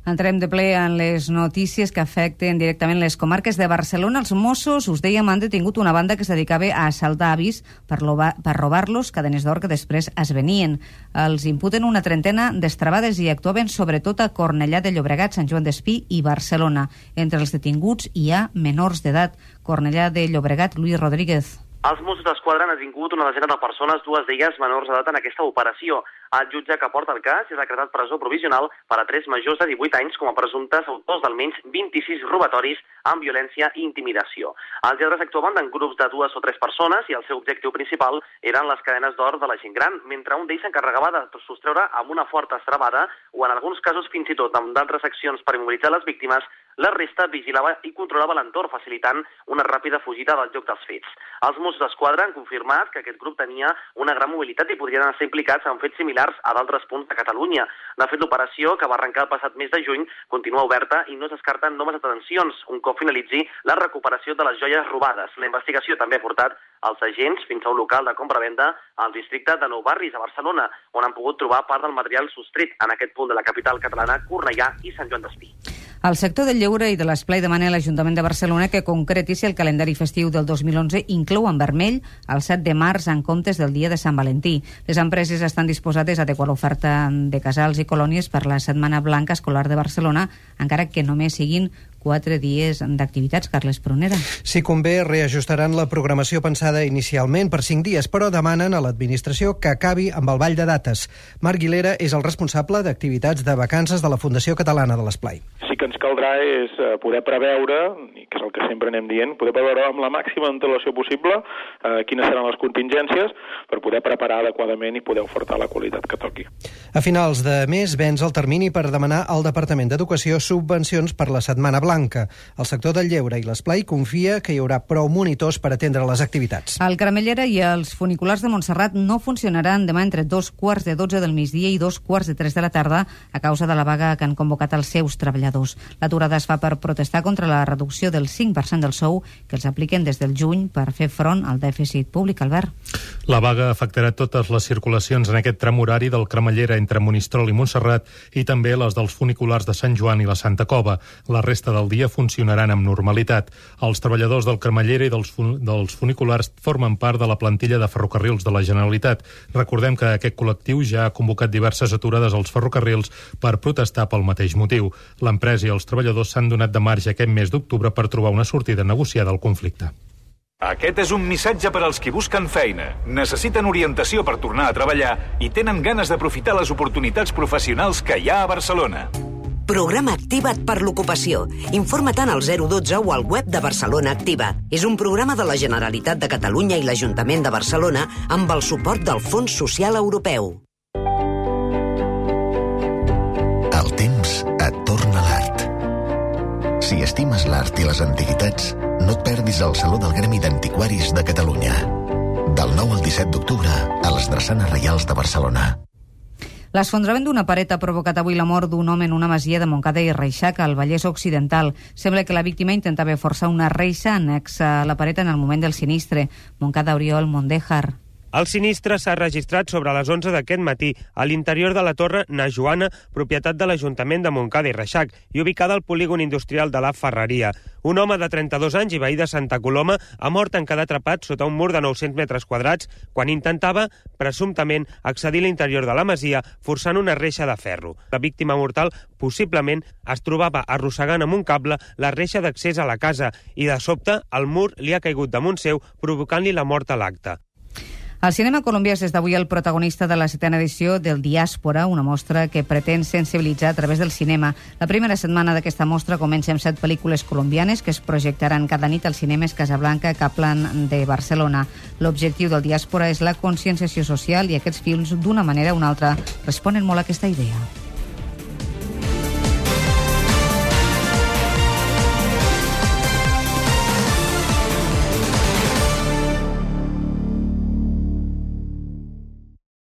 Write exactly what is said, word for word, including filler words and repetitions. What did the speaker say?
Entrem de ple en les notícies que afecten directament les comarques de Barcelona. Els Mossos, us dèiem, han detingut una banda que es dedicava a assaltar avis per, per robar-los cadenes d'or que després es venien. Els imputen una trentena d'estrabades i actuaven sobretot a Cornellà de Llobregat, Sant Joan d'Espí i Barcelona. Entre els detinguts hi ha menors d'edat. Cornellà de Llobregat, Luis Rodríguez. Els Mossos d'Esquadra han detingut una desena de persones, dues d'elles menors d'edat en aquesta operació. El jutge que porta el cas ha decretat presó provisional per a tres majors de divuit anys com a presumptes autors d'almenys vint-i-sis robatoris amb violència i intimidació. Els lladres actuaven en grups de dues o tres persones i el seu objectiu principal eren les cadenes d'or de la gent gran, mentre un d'ells s'encarregava de sostreure amb una forta estrabada o en alguns casos fins i tot amb d'altres accions per immobilitzar les víctimes. La resta vigilava i controlava l'entorn, facilitant una ràpida fugida del lloc dels fets. Els Mossos d'Esquadra han confirmat que aquest grup tenia una gran mobilitat i podrien estar implicats en fets similars a d'altres punts de Catalunya. De fet, l'operació, que va arrencar el passat mes de juny, continua oberta i no es descarten noves detencions un cop finalitzi la recuperació de les joies robades. La investigació també ha portat els agents fins a un local de compra-venda al districte de Nou Barris, a Barcelona, on han pogut trobar part del material sostret en aquest punt de la capital catalana, Cornellà i Sant Joan d'Espí. El sector del lleure i de l'esplai demana a l'Ajuntament de Barcelona que concreti si el calendari festiu del dos mil onze inclou en vermell el set de març en comptes del dia de Sant Valentí. Les empreses estan disposades a adequar l'oferta de casals i colònies per la Setmana Blanca Escolar de Barcelona, encara que només siguin quatre dies d'activitats. Carles Prunera. Si convé, reajustaran la programació pensada inicialment per cinc dies, però demanen a l'administració que acabi amb el ball de dates. Marc Guilera és el responsable d'activitats de vacances de la Fundació Catalana de l'Esplai. Sí que ens caldrà és poder preveure, i que és el que sempre anem dient, poder preveure amb la màxima antelació possible eh, quines seran les contingències per poder preparar adequadament i poder ofertar la qualitat que toqui. A finals de mes vens el termini per demanar al Departament d'Educació subvencions per la Setmana Blanca. El sector del lleure i l'esplai confia que hi haurà prou monitors per atendre les activitats. El Cremallera i els funiculars de Montserrat no funcionaran demà entre dos quarts de dotze del migdia i dos quarts de tres de la tarda a causa de la vaga que han convocat els seus treballadors. L'aturada es fa per protestar contra la reducció del cinc per cent del sou que els apliquen des del juny per fer front al dèficit públic. Albert. La vaga afectarà totes les circulacions en aquest tram horari del Cremallera entre Monistrol i Montserrat i també les dels funiculars de Sant Joan i la Santa Cova. La resta del dia funcionaran amb normalitat. Els treballadors del Cremallera i dels, fun dels funiculars formen part de la plantilla de ferrocarrils de la Generalitat. Recordem que aquest col·lectiu ja ha convocat diverses aturades als ferrocarrils per protestar pel mateix motiu. L'empresa i els treballadors s'han donat de marge aquest mes d'octubre per trobar una sortida negociada al conflicte. Aquest és un missatge per als qui busquen feina, necessiten orientació per tornar a treballar i tenen ganes d'aprofitar les oportunitats professionals que hi ha a Barcelona. Programa Activa't per l'ocupació. Informa't al zero dotze o al web de Barcelona Activa. És un programa de la Generalitat de Catalunya i l'Ajuntament de Barcelona amb el suport del Fons Social Europeu. El temps et torna l'art. Si estimes l'art i les antiguitats, no et perdis el Saló del Gremi d'Antiquaris de Catalunya. Del nou al disset d'octubre, a les Drassanes Reials de Barcelona. L'esfondrament d'una paret ha provocat avui la mort d'un home en una masia de Montcada i Reixac, al Vallès Occidental. Sembla que la víctima intentava forçar una reixa anexa a la paret en el moment del sinistre. Montcada, Oriol Mondéjar. El sinistre s'ha registrat sobre les onze d'aquest matí a l'interior de la torre Na Joana, propietat de l'Ajuntament de Montcada i Reixac i ubicada al polígon industrial de la Ferreria. Un home de trenta-dos anys i veí de Santa Coloma ha mort en quedar atrapat sota un mur de nou-cents metres quadrats quan intentava, presumptament, accedir a l'interior de la masia forçant una reixa de ferro. La víctima mortal, possiblement, es trobava arrossegant amb un cable la reixa d'accés a la casa i, de sobte, el mur li ha caigut damunt seu, provocant-li la mort a l'acte. El cinema colombià és des d'avui el protagonista de la setena edició del Diàspora, una mostra que pretén sensibilitzar a través del cinema. La primera setmana d'aquesta mostra comença amb set pel·lícules colombianes que es projectaran cada nit als cinemes Casablanca, Kaplan de Barcelona. L'objectiu del Diàspora és la conscienciació social i aquests films, d'una manera o una altra, responen molt a aquesta idea.